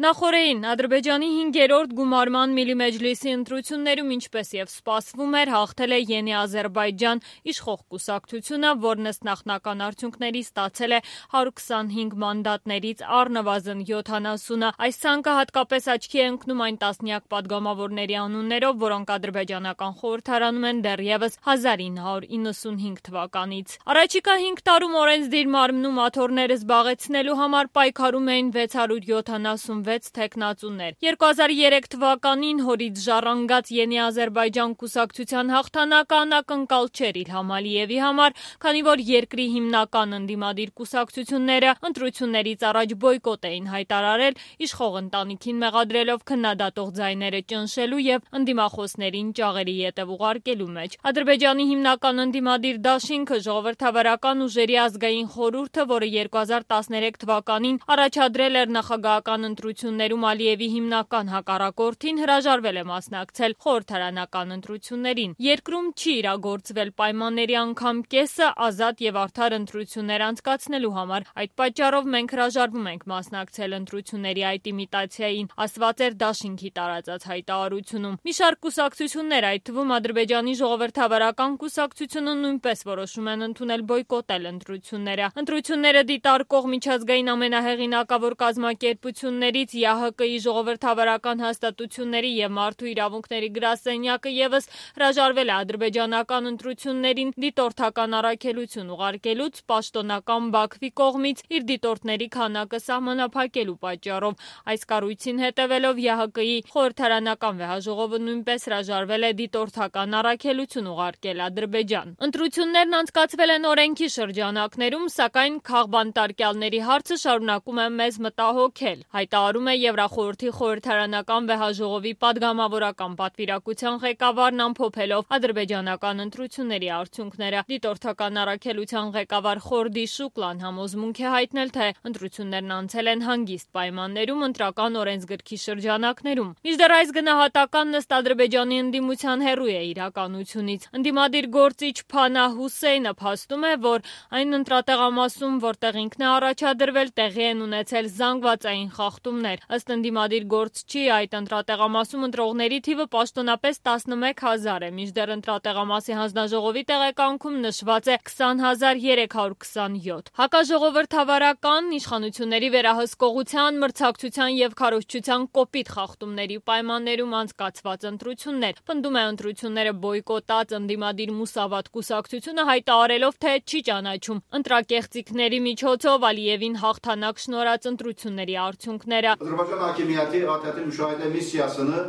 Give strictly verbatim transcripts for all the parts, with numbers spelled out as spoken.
Նախորդին Ադրբեջանի հինգերորդ գումարման Միլի Մեջլիսի ընտրություններում, ինչպես եւ սպասվում էր, հաղթել է Ենի Ադրբեջան իշխող կուսակցությունը, որն ըստ նախնական արդյունքների ստացել է հարյուր քսանհինգ մանդատներից առնվազն յոթանասունը։ Այս ցանկը հատկապես աչքի է ընկնում այն տասնյակ падգամավորների անուններով, որոնք ադրբեջանական խորհրդարանում են դեռևս հազար ինը հարյուր իննսունհինգ թվականից։ Առաջիկա հինգ տարում օրենսդիր մարմնում աթոռները զբաղեցնելու համար պայքարում էին վեց հարյուր յոթանասունվեց թեկնածուներ։ երկու հազար երեք թվականին հորից ժառանգած Ենի Ադրբեջան կուսակցության հաղթանակը անակնկալ չէր Իլհամ Ալիևի համար, քանի որ երկրի հիմնական ընդդիմադիր կուսակցությունները ընտրություններից առաջ բոյկոտ էին հայտարարել, իշխող ընտանիքին մեղադրելով քննադատող ձայները ճնշելու եւ ընդդիմախոսներին ճաղերի ետև ուղարկելու մեջ։ Ադրբեջանի հիմնական ընդդիմադիր դաշինքը ժողովրդավարական ուժերի ազգային խորհուրդը, որը երկու հազար տասներեք թվականին առաջադրել էր նախագահական ընտրություններում Ալիևի հիմնական հակառակորդին, հրաժարվել է մասնակցել խորհրդարանական ընտրություններին։ Երկրում չի իրագործվել պայմանների անգամ կեսը ազատ եւ արդար ընտրություններ անցկացնելու համար։ Այդ պատճառով մենք հրաժարվում ենք մասնակցել ընտրությունների այդ իմիտացիային, ասված էր դաշինքի տարածած հայտարարությունում։ Մի շարք կուսակցություններ, այդ թվում Ադրբեջանի ժողովրդավարական կուսակցությունը, նույնպես որոշում են ընդունել բոյկոտել ընտրությունները։ Ընտրությունները դիտարկող միջազգային ամենահեղինակավոր կազմակերպություններից ԵԱՀԿ -ի ժողովրդավարական հաստատությունների եւ մարդու իրավունքների գրասենյակը եւս հրաժարվել է ադրբեջանական ընտրություններին դիտորդական առաքելություն ուղարկելուց պաշտոնական Բաքվի կողմից իր դիտորդների քանակը սահմանափակելու պատճառով։ Այս կառույցին հետևելով ԵԱՀԿ-ի խորհրդարանական վեհաժողովը նույնպես հրաժարվել է դիտորդական առաքելություն ուղարկել Ադրբեջան։ Ընտրություններն անցկացվել են օրենքի շրջանակներում, սակայն քաղբանտարկյալների հարցը շարունակում է մեզ մտահոգել, հայտարարում է Եվրախորհրդի խորհրդարանական վեհաժողովի պատգամավորական պատվիրակության ղեկավարն ամփոփելով ադրբեջանական ընտրությունների արդյունքները։ Դիտորդական առաքելության ղեկավար Խորդի Շուկլան համոզմունք է հայտնել, թե ընտրություններն անցել են հանգիստ պայմաններում ընտրական օրենսգրքի շրջանակներում։ Մինչդեռ այս գնահատականն ըստ Ադրբեջանի ընդդիմության հեռու է իրականությունից։ Ընդդիմադիր գործիչ Փանահ Հուսեյնը փաստում է, որ այն ընտրատեղամասում, որտեղ ինքն է առաջադրվել, տեղի են ունեցել զանգվածային խախտումներ։ Ըստ ընդդիմադիր գործչի, այդ ընտրատեղամասում ընտրողների թիվը պաշտոնապես տասնմեկ հազար է, մինչդեռ ընտրատեղամասի հանձնաժողովի տեղեկանքում նշված է քսան հազար երեք հարյուր քսանյոթ։ Հակաժողովրդավարական իշխանությունների վերահսկողության, մրցակցության եւ քարոզչության կոպիտ խախտումների պայմաններում անցկացված ընտրություններ։ Պնդում է ընտրությունները բոյկոտած ընդդիմադիր Մուսավատ կուսակցությունը, հայտարարելով, թե չի ճանաչում ընտրակեղծիքների միջոցով Ալիևին հաղթանակ շնորհած ընտրությունների արդյունքները։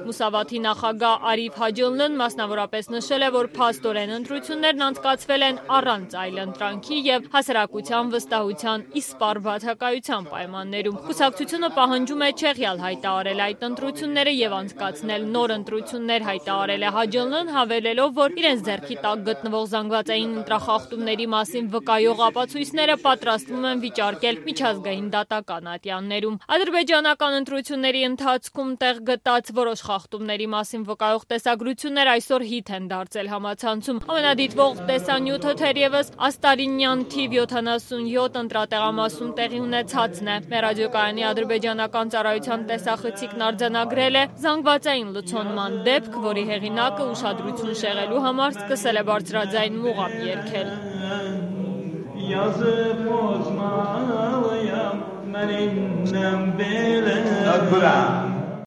Մուսավաթի նախագահ Արիֆ Հաջոնլն մասնավորապես նշել է, որ փաստորեն ընտրություններն անցկացվել են առանց այլընտրանքի եւ հասարակության վստահության իսպառ բացակայության պայմաններում։ Կուսակցությունը պահանջում է չեղյալ հայտարարել այդ ընտրությունները եւ անցկացնել նոր ընտրություններ, հայտարարել է Հաջոնլն, հավելելով, որ իրենց ձեռքի տակ գտնվող զանգվածային ընտրախախտումների մասին վկայող ապացույցները պատրաստվում են վիճարկել միջազգային դատական ատյաններում։ Ադրբեջանական ընտրությունների ընթացքում տեղ գտած որոշ խախտումների մասին վկայող տեսագրություններ այսօր հիթ են դարձել համացանցում։ Ամենադիտվող տեսանյութը թերևս աստարինյան թիվ յոթանասունյոթ ընտրատեղամասում տեղի ունեցածն է։ Մեր ռադիոկայանի ադրբեջանական ծառայության տեսախցիկն արձանագրել է զանգվածային լցոնման դեպք, որի հեղինակը ուշադրություն շեղելու համար սկսել է բարձրաձայն մուղամ երգել։ Yazıp bozmalıyam, ben innem bile.